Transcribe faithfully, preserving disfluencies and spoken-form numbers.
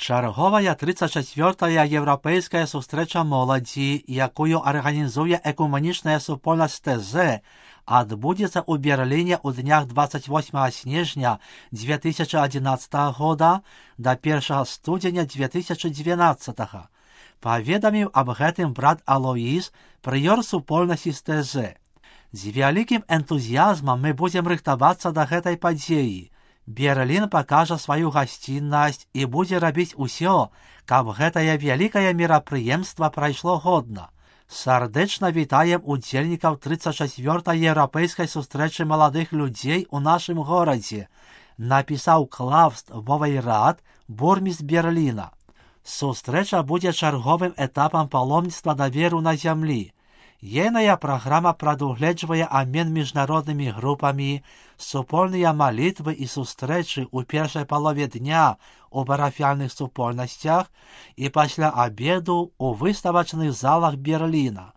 Чарговая тридцять четвёртая європейська зустріча молоді, якою організує екуменічна супольність ТЗ, відбудеться у Берліні у днях двадцять восьмого снежня две тысячи одиннадцатого года до первого студеня две тысячи двенадцатого. Поведомив об гэтым брат Алоїс, прыёр супольнасці з ТЗ. З вялікім энтузіазмам мы будзем рыхтавацца да гэтай падзеі. Берлін пакажа сваю гасціннасць і будзе рабіць усё, каб гэтае вялікае мерапрыемства прайшло годна. Сардэчна вітаем удзельнікаў тридцать четвёртой еўрапейскай сустрэчы маладых людзей у нашым горадзе, напісаў Клаус Вовейрат, бурмістр Берліна. Сустрэча будзе чарговым этапам паломніцтва даверу на зямлі. Ейная праграма прадугледжвае абмен міжнароднымі групамі, супольныя малітвы і сустрэчы ў першай палове дня у парафіяльных супольнасцях і пасля абеду ў выставачных залах Берліна.